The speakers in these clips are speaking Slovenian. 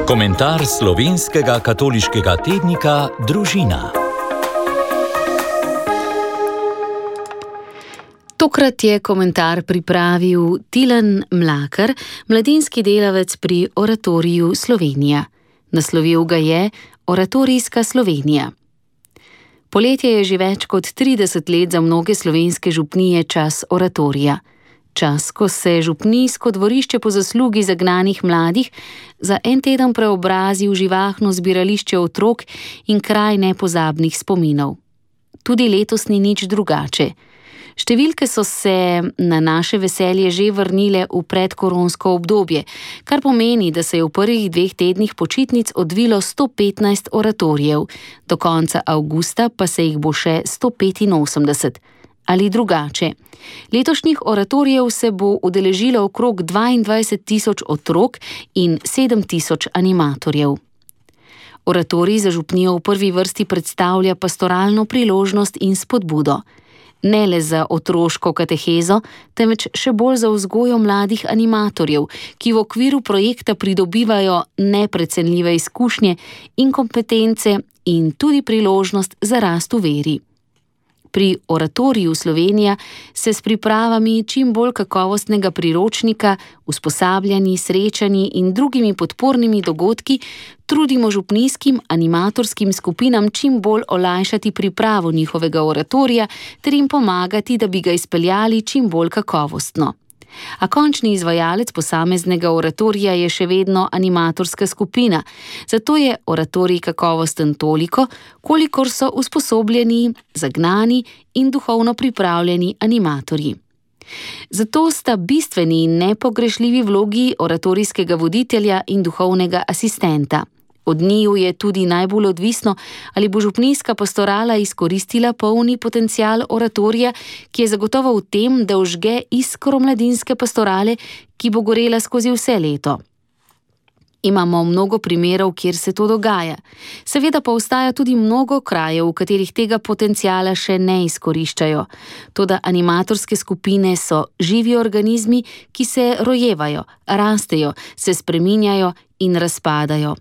Komentar slovenskega katoliškega tednika Družina. Tokrat je komentar pripravil Tilen Mlakar, mladinski delavec pri Oratoriju Slovenija. Naslovil ga je Oratorijska Slovenija. Poletje je že več kot 30 let za mnoge slovenske župnije čas oratorija. Čas, ko se župnijsko dvorišče po zaslugi zagnanih mladih za en teden preobrazi v živahno zbirališče otrok in kraj nepozabnih spominov. Tudi letos ni nič drugače. Številke so se na naše veselje že vrnile v predkoronsko obdobje, kar pomeni, da se je v prvih 2 tednih počitnic odvilo 115 oratorijev, do konca avgusta pa se jih bo še 185. Ali drugače. Letošnjih oratorijev se bo udeležilo okrog 22.000 otrok in 7.000 animatorjev. Oratorij za župnijo v prvi vrsti predstavlja pastoralno priložnost in spodbudo. Ne le za otroško katehezo, temveč še bolj za vzgojo mladih animatorjev, ki v okviru projekta pridobivajo neprecenljive izkušnje in kompetence in tudi priložnost za rast v veri. Pri Oratoriju Slovenija se s pripravami čim bolj kakovostnega priročnika, usposabljanji, srečanji in drugimi podpornimi dogodki trudimo župnijskim animatorskim skupinam čim bolj olajšati pripravo njihovega oratorija ter jim pomagati, da bi ga izpeljali čim bolj kakovostno. A končni izvajalec posameznega oratorija je še vedno animatorska skupina, zato je oratorij kakovosten toliko, kolikor so usposobljeni, zagnani in duhovno pripravljeni animatorji. Zato sta bistveni in nepogrešljivi vlogi oratorijskega voditelja in duhovnega asistenta. Od njiju je tudi najbolj odvisno, ali bo župnijska pastorala izkoristila polni potencial oratorija, ki je zagotovo v tem, da vžge iskro mladinske pastorale, ki bo gorela skozi vse leto. Imamo mnogo primerov, kjer se to dogaja. Seveda pa ostaja tudi mnogo krajev, v katerih tega potenciala še ne izkoriščajo. Toda animatorske skupine so živi organizmi, ki se rojevajo, rastejo, se spreminjajo in razpadajo.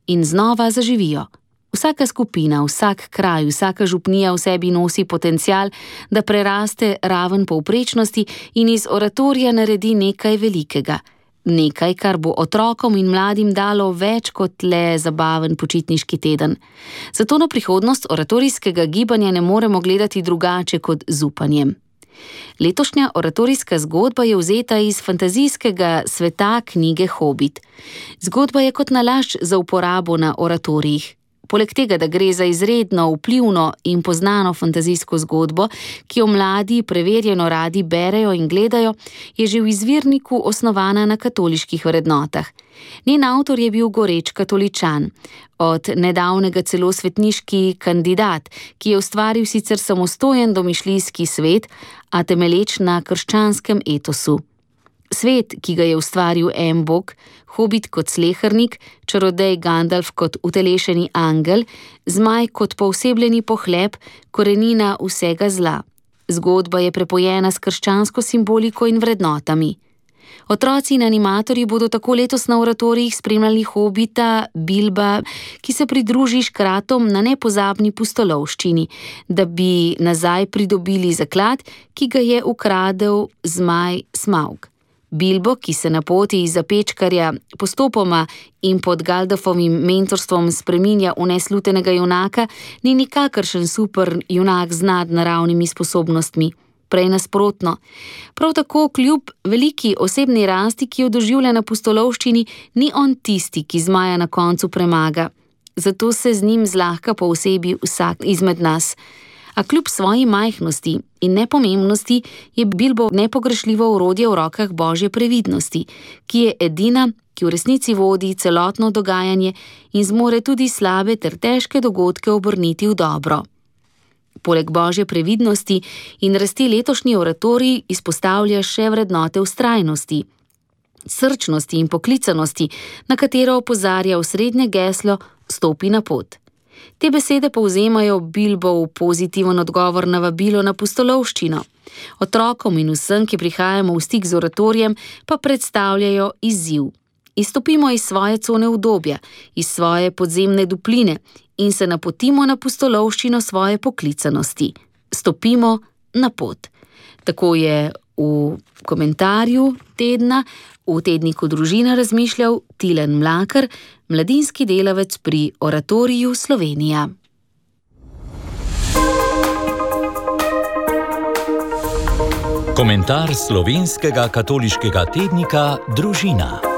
In znova zaživijo. Vsaka skupina, vsak kraj, vsaka župnija v sebi nosi potencial, da preraste raven povprečnosti in iz oratorija naredi nekaj velikega. Nekaj, kar bo otrokom in mladim dalo več kot le zabaven počitniški teden. Zato na prihodnost oratorijskega gibanja ne moremo gledati drugače kot z upanjem. Letošnja oratorijska zgodba je vzeta iz fantazijskega sveta knjige Hobit. Zgodba je kot nalašč za uporabo na oratorijih. Poleg tega, da gre za izredno vplivno in poznano fantazijsko zgodbo, ki jo mladi preverjeno radi berejo in gledajo, je že v izvirniku osnovana na katoliških vrednotah. Njen avtor je bil goreč katoličan, od nedavnega celo svetniški kandidat, ki je ustvaril sicer samostojen domišljijski svet, a temelječ na krščanskem etosu. Svet, ki ga je ustvaril en bog, Hobit kot slehernik, čarodej Gandalf kot utelešeni angel, zmaj kot poosebljeni pohlep, korenina vsega zla. Zgodba je prepojena s krščansko simboliko in vrednotami. Otroci in animatorji bodo tako letos na oratorijih spremljali Hobita, Bilba, ki se pridruži škratom na nepozabni pustolovščini, da bi nazaj pridobili zaklad, ki ga je ukradel zmaj Smaug. Bilbo, ki se na poti iz Zapečkarja postopoma in pod Gandalfovim mentorstvom spreminja v neslutenega junaka, ni nikakršen super junak z nadnaravnimi sposobnostmi. Prej nasprotno. Prav tako kljub veliki osebni rasti, ki jo doživlja na pustolovščini, ni on tisti, ki zmaja na koncu premaga. Zato se z njim zlahka poosebi vsak izmed nas. A kljub svoji majhnosti in nepomembnosti je Bilbo nepogrešljivo orodje v rokah Božje previdnosti, ki je edina, ki v resnici vodi celotno dogajanje in zmore tudi slabe ter težke dogodke obrniti v dobro. Poleg Božje previdnosti in rasti letošnji oratorij izpostavlja še vrednote vztrajnosti, srčnosti in poklicanosti, na katero opozarja osrednje geslo Stopi na pot. Te besede povzemajo Bilbov pozitiven odgovor na vabilo na pustolovščino. Otrokom in vsem, ki prihajamo v stik z oratorijem, pa predstavljajo izziv. Izstopimo iz svoje cone udobja, iz svoje podzemne dupline in se napotimo na pustolovščino svoje poklicanosti. Stopimo na pot. Tako je v komentarju tedna v tedniku Družina razmišljal Tilen Mlakar, mladinski delavec pri Oratoriju Slovenija. Komentar slovenskega katoliškega tednika Družina.